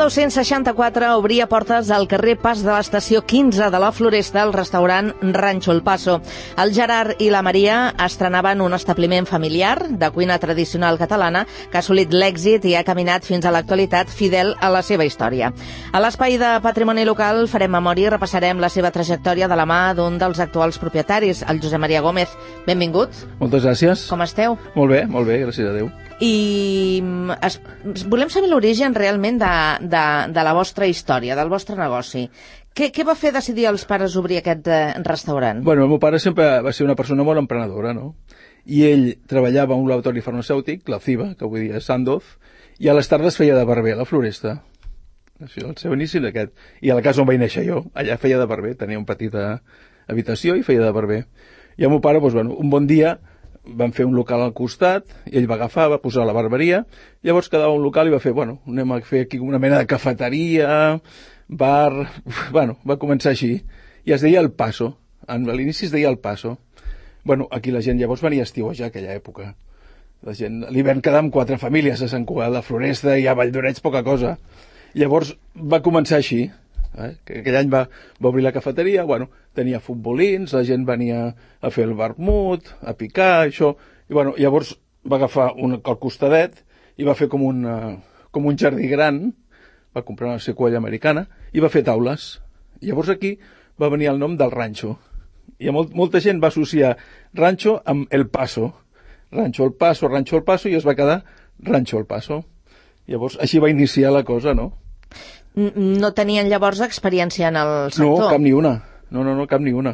1964 obria portes al carrer Pas de l'Estació 15 de la Floresta el restaurant Rancho El Paso. El Gerard i la Maria estrenaven un establiment familiar de cuina tradicional catalana que ha assolit l'èxit i ha caminat fins a l'actualitat fidel a la seva història. A l'espai de patrimoni local farem memòria i repassarem la seva trajectòria de la mà d'un dels actuals propietaris, el Josep Maria Gómez. Benvingut. Moltes gràcies. Com esteu? Molt bé, gràcies a Déu. I volem saber l'origen realment de la vostra història, del vostre negoci. Què va fer decidir als pares obrir aquest restaurant? Bueno, el meu pare sempre va ser una persona molt emprenedora, no? I ell treballava a un laboratori farmacèutic, la CIBA, que avui dia és Sandoz, i a les tardes feia de barber a la Floresta. Això, el seu inici d'aquest. I a la casa on vaig néixer jo, allà feia de barber, tenia una petita habitació i feia de barber. I el meu pare, doncs, bueno, un bon dia van fer un local al costat, i ell va agafar, va posar la barberia, llavors quedava un local i va fer, bueno, anem a fer aquí una mena de cafeteria, bar... Bueno, va començar així. I es deia El Paso. A l'inici es deia El Paso. Bueno, aquí la gent llavors venia a estiuejar aquella època. La gent, a l'hivern quedàvem 4 famílies a Sant Cugat de la Floresta i a Valldoreix poca cosa. Llavors va començar així. Que aquell any va obrir la cafeteria, bueno, tenia futbolins, la gent venia a fer el vermut, a picar, això, i bueno, llavors va agafar al costadet i va fer com un jardí gran, va comprar una sequoia americana i va fer taules. Llavors aquí va venir el nom del ranxo, i molta gent va associar ranxo amb El Paso. Ranxo El Paso, i es va quedar Ranxo El Paso. Llavors així va iniciar la cosa, no? No tenien llavors experiència en el sector? No, cap ni una. No, cap ni una.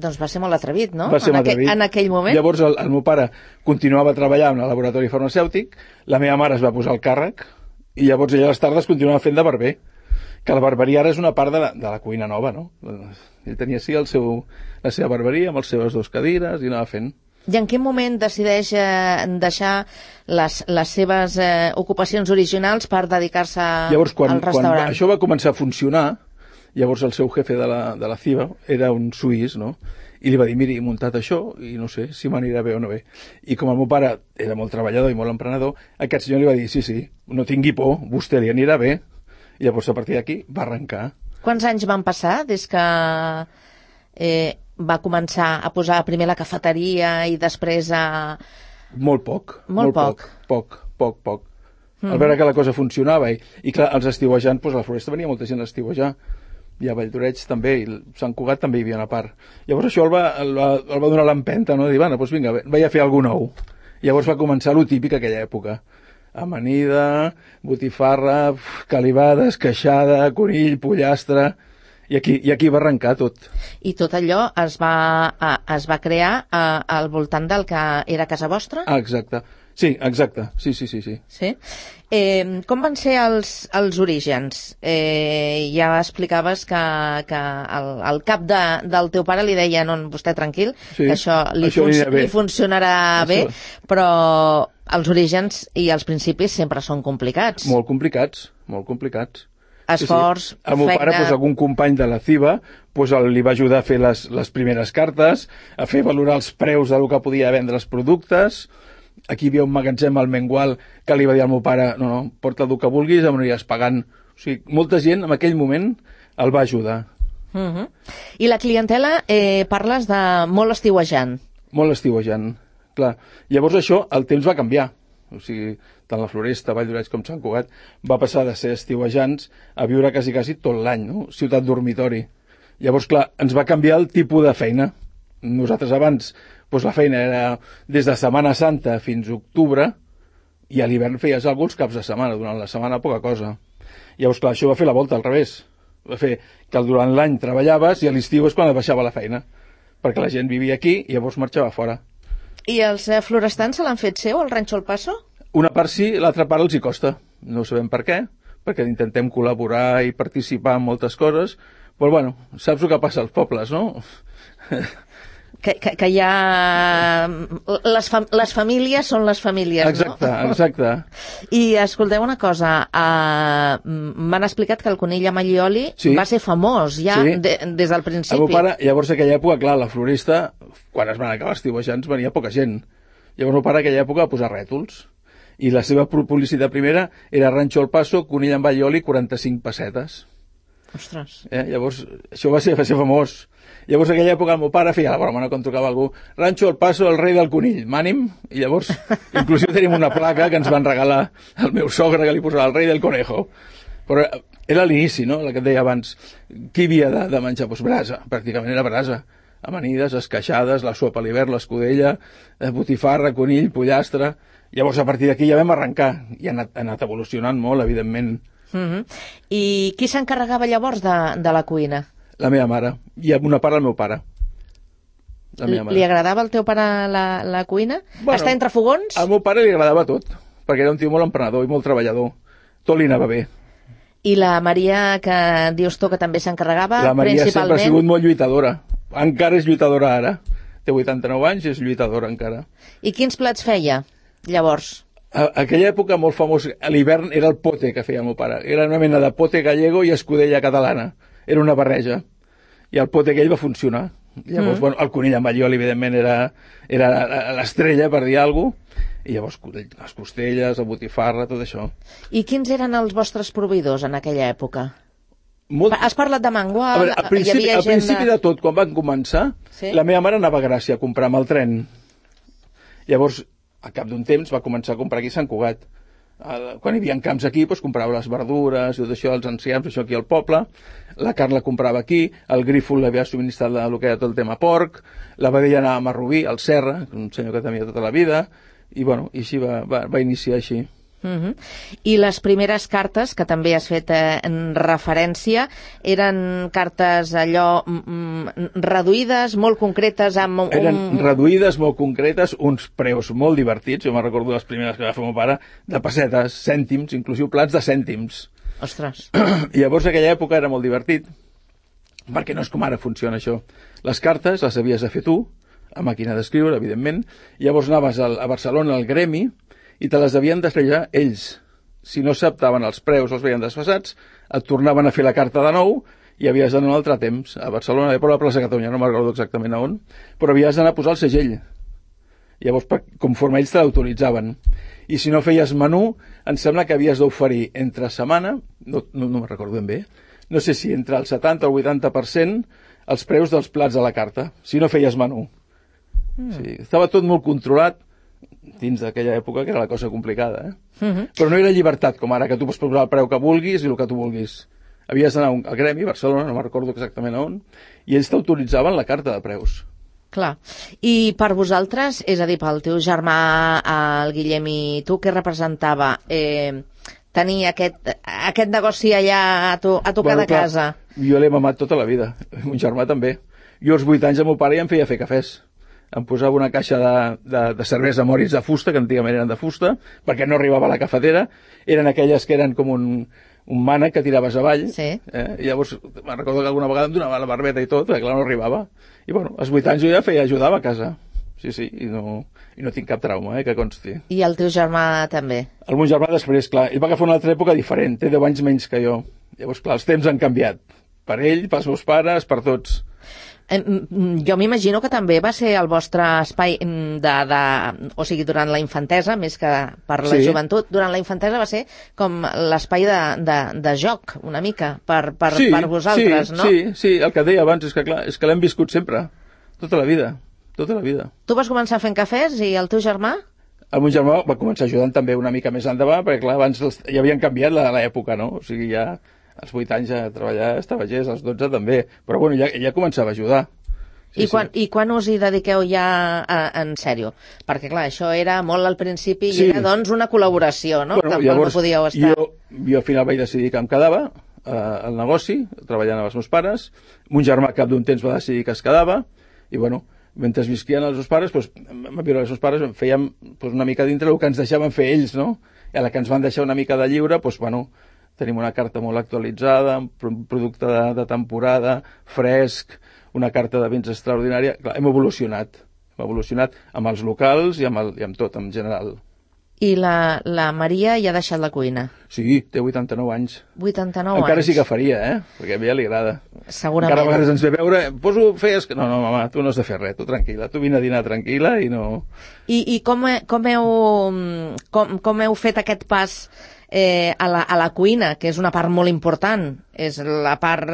Doncs va ser molt atrevit, no? Va ser molt atrevit. En aquell moment? Llavors el meu pare continuava treballant al laboratori farmacèutic, la meva mare es va posar al càrrec, i llavors ella a les tardes continuava fent de barber, que la barberia ara és una part de la cuina nova, no? Ell tenia sí la seva barberia amb les seves 2 cadires i anava fent. I en quin moment decideix deixar les seves ocupacions originals per dedicar-se al restaurant? Quan això va començar a funcionar, llavors el seu jefe de la CIBA era un suís, no? I li va dir, miri, he muntat això i no sé si m'anirà bé o no bé. I com el meu pare era molt treballador i molt emprenedor, aquest senyor li va dir, sí, no tingui por, vostè li anirà bé. I llavors a partir d'aquí va arrencar. Quants anys van passar des que va començar a posar primer la cafeteria i després a... Molt poc. Poc. Al veure que la cosa funcionava i clar, els estiuejants, doncs a la Floresta venia molta gent a estiuejar, i a Valldoreix també, i Sant Cugat també hi havia una part. Llavors això el va donar l'empenta, no? Dir, bueno, doncs vinga, vaig a fer alguna nou. Llavors va començar lo típic aquella època. Amanida, botifarra, calivades, queixada, conill, pollastre... I aquí va arrencar tot. I tot allò es va crear al voltant del que era casa vostra? Ah, exacte. Sí, exacte. Sí. Sí? Com van ser els orígens? Ja explicaves que el cap del teu pare li deia, no, vostè tranquil, que això li funcionarà bé, però els orígens i els principis sempre són complicats. Molt complicats. Esforç, feina... El meu pare, algun company de la CIBA, li va ajudar a fer les primeres cartes, a fer valorar els preus del que podia vendre els productes. Aquí hi havia un magatzem al Mengual que li va dir al meu pare, no, porta el que vulguis, em aniràs pagant. O sigui, molta gent en aquell moment el va ajudar. I la clientela, parles de molt estiuejant. Molt estiuejant, clar. Llavors això, el temps va canviar. O sigui, tant la Floresta, Valldoreix com Sant Cugat, va passar de ser estiuejants a viure quasi tot l'any, no? Ciutat dormitori. Llavors, clar, ens va canviar el tipus de feina. Nosaltres abans, la feina era des de Setmana Santa fins a octubre, i a l'hivern feies alguns caps de setmana, durant la setmana poca cosa. Llavors, clar, això va fer la volta al revés. Va fer que durant l'any treballaves i a l'estiu és quan et baixava la feina, perquè la gent vivia aquí i llavors marxava fora. I els florestans se l'han fet seu, el Ranxo El Paso? Una part sí, l'altra part els hi costa. No sabem per què, perquè intentem col·laborar i participar en moltes coses, però bueno, saps el que passa als pobles, no? Que hi ha... Les famílies són les famílies, exacte, no? Exacte. I escolteu una cosa, m'han explicat que el conill amb allioli va ser famós ja des del principi. El meu pare, llavors en aquella època, clar, la Florista, quan es van acabar estiuejants, venia poca gent. Llavors el meu pare en aquella època va posar rètols. I la seva publicitat primera era Rancho El Paso, conill amb all i oli, 45 pessetes. Ostres. Llavors, això va ser famós. Llavors, en aquella època, el meu pare feia la broma, no? Quan trucava algú, Rancho El Paso, el rei del conill, m'ànim? I llavors, inclusive tenim una placa que ens van regalar el meu sogre, que li posava el rei del conejo. Però era a l'inici, no?, la que et deia abans. Qui havia de menjar? Doncs brasa, pràcticament era brasa. Amanides, esqueixades, la sopa a l'hivern, l'escudella, botifarra, conill, pollastre. Llavors, a partir d'aquí ja vam arrencar. I ha anat evolucionant molt, evidentment. I qui s'encarregava llavors de la cuina? La meva mare. I amb una part el meu pare. Li agradava al teu pare la cuina? Bueno, estar entre fogons? Al meu pare li agradava tot, perquè era un tio molt emprenedor i molt treballador. Tot li anava bé. I la Maria, que dius tu que també s'encarregava, la Maria principalment... sempre ha sigut molt lluitadora. Encara és lluitadora ara. Té 89 anys i és lluitadora encara. I quins plats feia, llavors? A aquella època molt famós, a l'hivern, era el pote que feia el meu pare. Era una mena de pote gallego i escudella catalana. Era una barreja. I el pote aquell va funcionar. Llavors, bueno, el conill amb allioli, evidentment, era l'estrella, per dir alguna cosa. I llavors les costelles, la botifarra, tot això. I quins eren els vostres proveïdors en aquella època? Has parlat de Mangual, veure, al principi de tot, quan van començar, sí? La meva mare anava a Gràcia a comprar amb el tren. Llavors, al cap d'un temps, va començar a comprar aquí a Sant Cugat. Quan hi havia camps aquí, doncs, comprava les verdures i tot això, els enciams, això aquí al poble. La carn la comprava aquí, el Grífol l'havia subministrat el que era tot el tema porc, la vedella anava a Rubí, al Serra, un senyor que tenia tota la vida, i bueno, i així va iniciar així. I les primeres cartes, que també has fet en referència, eren cartes allò reduïdes, molt concretes? Eren reduïdes, molt concretes, uns preus molt divertits. Jo me'n recordo les primeres que va fer el meu pare, de pessetes, cèntims, inclusive plats de cèntims. Ostres. I llavors, en aquella època era molt divertit, perquè no és com ara funciona això. Les cartes les havies de fer tu, a màquina d'escriure, evidentment, i llavors anaves a Barcelona al gremi i te les devien despejar ells. Si no s'adaptaven els preus, els veien desfasats, et tornaven a fer la carta de nou i havies d'anar un altre temps. A Barcelona, a la plaça Catalunya, no me'n recordo exactament a on, però havies d'anar a posar el segell. Llavors, conforme ells te l'autoritzaven. I si no feies menú, em sembla que havies d'oferir entre setmana, no me'n recordo ben bé, no sé si entre el 70 o el 80% els preus dels plats de la carta, si no feies menú. Sí, estava tot molt controlat dins d'aquella època, que era la cosa complicada, Però no era llibertat, com ara, que tu pots posar el preu que vulguis i el que tu vulguis. Havies d'anar al gremi, a Barcelona, no me'n recordo exactament on, i ells t'autoritzaven la carta de preus. Clar. I per vosaltres, és a dir, pel teu germà, el Guillem i tu, què representava tenir aquest negoci allà a tocar de casa? Jo l'he mamat tota la vida, mon germà també. Jo als 8 anys el meu pare ja em feia fer cafès. Em posava una caixa de cervesa Moritz de fusta, que antigament eren de fusta, perquè no arribava a la cafetera. Eren aquelles que eren com un mànec que tiraves avall. Sí. I llavors me'n recordo que alguna vegada em donava la barbeta i tot, perquè clar, no arribava. I bueno, als 8 anys jo ja ajudava a casa. Sí, i no tinc cap trauma, que consti. I el teu germà també? El meu germà després, clar, ell va agafar una altra època diferent, té 10 anys menys que jo. Llavors, clar, els temps han canviat. Per ell, pels meus pares, per tots. Jo m'imagino que també va ser el vostre espai o sigui, durant la infantesa, més que per la joventut, durant la infantesa va ser com l'espai de joc, una mica, per vosaltres, no? Sí, el que deia abans és que l'hem viscut sempre, tota la vida. Tu vas començar fent cafès i el teu germà? El meu germà va començar ajudant també una mica més endavant, perquè clar, abans ja havien canviat l'època, no? O sigui, ja als 8 anys a treballar estava gest, als 12 també, però bueno, ja començava a ajudar. I quan us hi dediqueu ja en sèrio? Perquè clar, això era molt al principi i era doncs una col·laboració, no? Bueno, llavors, no podíeu estar... jo al final vaig decidir que em quedava al negoci, treballant amb els meus pares. Mon germà cap d'un temps va decidir que es quedava, i bueno, mentre visquien els meus pares, vam viure els meus pares, fèiem una mica dintre el que ens deixaven fer ells, no? I a la que ens van deixar una mica de lliure, bueno, tenim una carta molt actualitzada, un producte de temporada, fresc, una carta de vins extraordinària. Clar, hem evolucionat amb els locals i amb tot, en general. I la Maria ja ha deixat la cuina? Sí, té 89 anys. 89 Encara anys. sí que faria, perquè a ella li agrada. Segurament. Encara a vegades ens ve a veure, feies... No, mama, tu no has de fer res, tu tranquil·la, tu vine a dinar tranquil·la i no... I com heu fet aquest pas a la cuina, que és una part molt important, és la part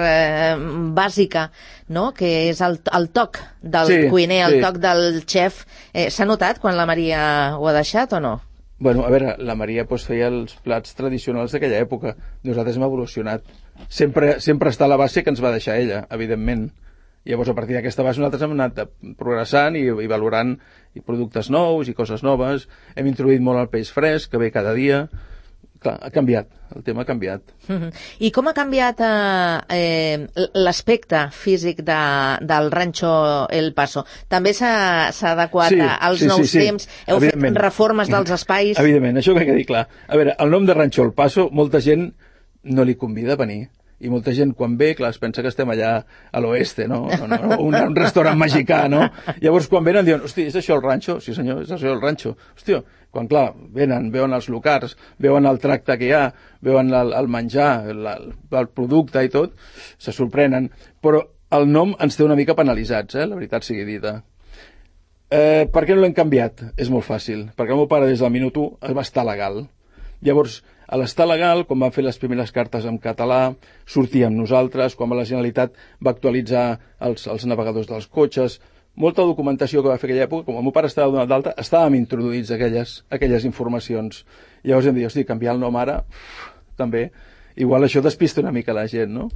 bàsica, no? Que és el toc del cuiner, el toc del xef. S'ha notat quan la Maria ho ha deixat o no? Bueno, a veure, la Maria feia els plats tradicionals d'aquella època. Nosaltres hem evolucionat. Sempre està a la base que ens va deixar ella, evidentment. Llavors, a partir d'aquesta base, nosaltres hem anat progressant i valorant productes nous i coses noves. Hem introduït molt el peix fresc, que ve cada dia. Clar, ha canviat, el tema ha canviat. I com ha canviat l'aspecte físic del Rancho El Paso? També s'ha adequat als nous temps? Heu fet reformes dels espais? Evidentment, això que ha de dir clar. A veure, el nom de Rancho El Paso, molta gent no li convida a venir. I molta gent, quan ve, clar, es pensa que estem allà a l'oeste, no? Un restaurant mexicà, no? Llavors, quan venen, diuen, hosti, és això el ranxo? Sí, senyor, és això el ranxo. Hòstia, quan, clar, venen, veuen els locals, veuen el tracte que hi ha, veuen el menjar, el producte i tot, se sorprenen. Però el nom ens té una mica penalitzats, la veritat sigui dita. Per què no l'hem canviat? És molt fàcil. Perquè el meu pare, des del minut 1, va estar legal. Llavors, a l'estar legal, quan van fer les primeres cartes en català, sortíem nosaltres, quan la Generalitat va actualitzar els navegadors dels cotxes, molta documentació que va fer aquella època, com el meu pare estava donat d'alta, estàvem introduïts aquelles informacions. Llavors hem dit, hosti, canviar el nom ara, també, igual això despista una mica la gent, no?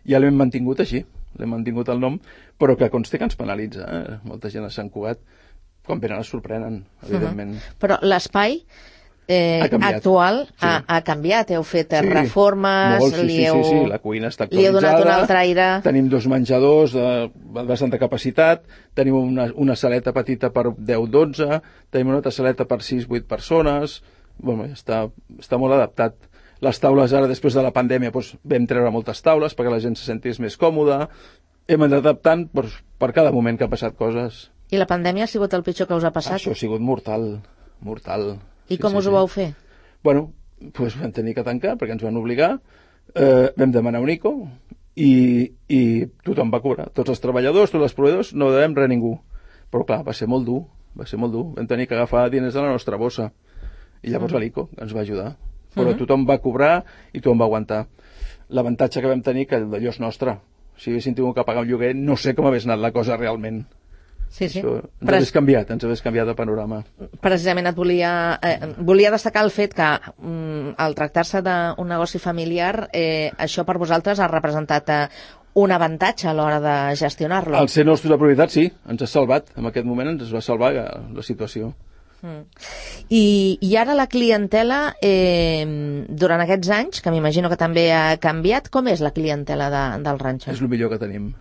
Ja l'hem mantingut així, l'hem mantingut el nom, però que consti que ens penalitza, molta gent a Sant Cugat, quan venen es sorprenen, evidentment. Però l'espai actual ha canviat, heu fet reformes, sí, la cuina està actualitzada, li heu donat un altre aire. Tenim 2 menjadors de bastanta capacitat, tenim una saleta petita per 10-12, tenim una altra saleta per 6-8 persones, bueno, està molt adaptat. Les taules ara, després de la pandèmia, vam treure moltes taules perquè la gent se sentís més còmoda, hem anat adaptant per cada moment que ha passat coses. I la pandèmia ha sigut el pitjor que us ha passat? Això ha sigut mortal. I com us ho vau fer? Bueno, vam tenir que tancar perquè ens van obligar, vam demanar un ICO i tothom va cobrar. Tots els treballadors, tots els proveïdors, no devem res a ningú. Però clar, va ser molt dur. Vam tenir que agafar diners de la nostra bossa. I llavors l'ICO ens va ajudar. Però tothom va cobrar i tothom va aguantar. L'avantatge que vam tenir que allò és nostre. Si haguéssim tingut que pagar un lloguer, no sé com hagués anat la cosa realment. Sí. Això ens hagués canviat el panorama. Precisament volia destacar el fet que al tractar-se d'un negoci familiar, això per vosaltres ha representat un avantatge a l'hora de gestionar-lo. Al ser nostra propietat, sí, ens ha salvat. En aquest moment ens va salvar la situació. I ara la clientela, durant aquests anys, que m'imagino que també ha canviat, com és la clientela del ranxo? És el millor que tenim.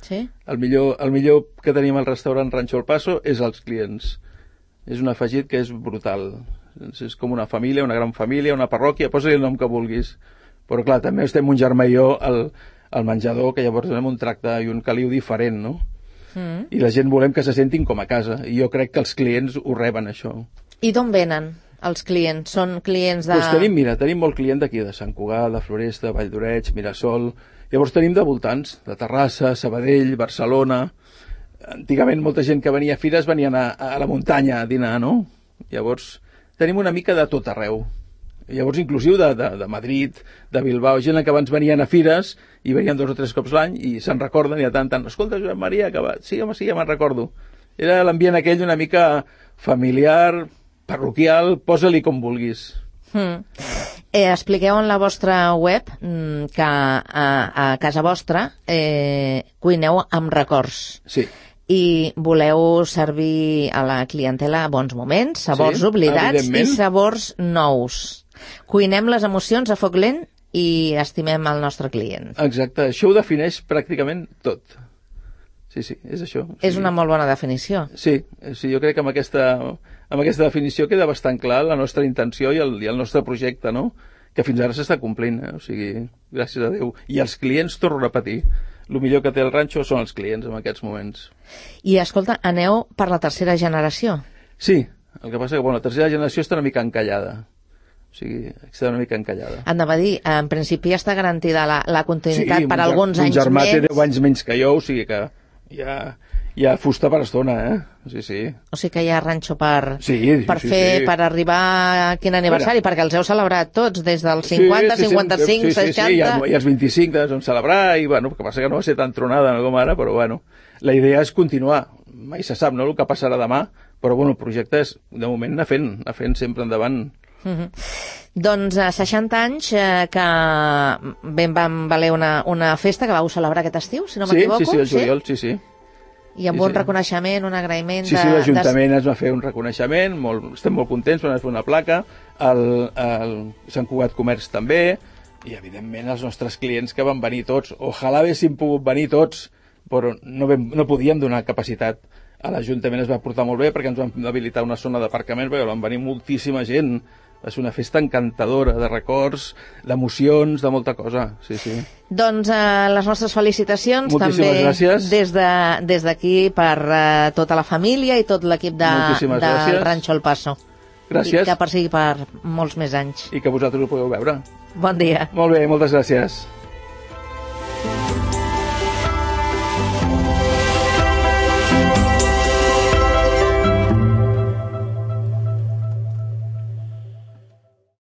Sí? El millor que tenim al restaurant Rancho El Paso és els clients. És un afegit que és brutal. És com una família, una gran família, una parròquia, posa-li el nom que vulguis. Però clar, també estem un germà i jo al menjador, que llavors donem un tracte i un caliu diferent, no? I la gent volem que se sentin com a casa. I jo crec que els clients ho reben, això. I d'on venen els clients? Són clients de... Tenim molt client d'aquí, de Sant Cugat, de Floresta, Vall d'Oreig, Mirasol. Llavors tenim de voltants, de Terrassa, Sabadell, Barcelona. Antigament molta gent que venia a fires venien a la muntanya a dinar, no? Llavors tenim una mica de tot arreu. Llavors inclusiu de Madrid, de Bilbao, gent que abans venien a fires i venien 2 o 3 cops l'any i se'n recorden i de tant. Escolta, Josep Maria, que va... Sí, home, sí, ja me'n recordo. Era l'ambient aquell una mica familiar, parroquial, posa-li com vulguis. Expliqueu en la vostra web que a casa vostra cuineu amb records. Sí. I voleu servir a la clientela bons moments, sabors oblidats i sabors nous. Cuinem les emocions a foc lent i estimem el nostre client. Exacte, això ho defineix pràcticament tot. Sí, és això. És una molt bona definició. Sí, jo crec que amb aquesta definició queda bastant clar la nostra intenció i el nostre projecte, no? Que fins ara s'està complint, o sigui, gràcies a Déu. I els clients, torno a repetir, el millor que té el ranxo són els clients en aquests moments. I, escolta, aneu per la tercera generació? Sí, el que passa que la tercera generació està una mica encallada. O sigui, està una mica encallada. Anava a dir, en principi ja està garantida la continuïtat per alguns anys més. Sí, mon germà té 10 anys menys que jo, o sigui que hi ha fusta per estona, Sí, sí. O sigui que hi ha ranxo per arribar a quin aniversari, perquè els heu celebrat tots, des dels 50, 55, 60... Sí, i els 25 doncs vam celebrar, i bueno, que passa que no va ser tan tronada com ara, però bueno, la idea és continuar. Mai se sap, no?, el que passarà demà, però bueno, el projecte és, de moment, anar fent sempre endavant. Doncs 60 anys que vam valer una festa que vau celebrar aquest estiu, si no m'equivoco. Sí, el juliol, sí. I amb un reconeixement, un agraïment... Sí, l'Ajuntament es va fer un reconeixement, estem molt contents, van fer una placa, Sant Cugat Comerç també, i evidentment els nostres clients que van venir tots. Ojalà haguéssim pogut venir tots, però no podíem donar capacitat. A l'Ajuntament es va portar molt bé perquè ens van habilitar una zona d'aparcament, perquè van venir moltíssima gent. Va ser una festa encantadora, de records, d'emocions, de molta cosa, sí. Doncs les nostres felicitacions moltíssimes també gràcies. Des d'aquí per tota la família i tot l'equip del Ranxo El Paso. Gràcies. I que persigui per molts més anys. I que vosaltres ho podeu veure. Bon dia. Molt bé, moltes gràcies.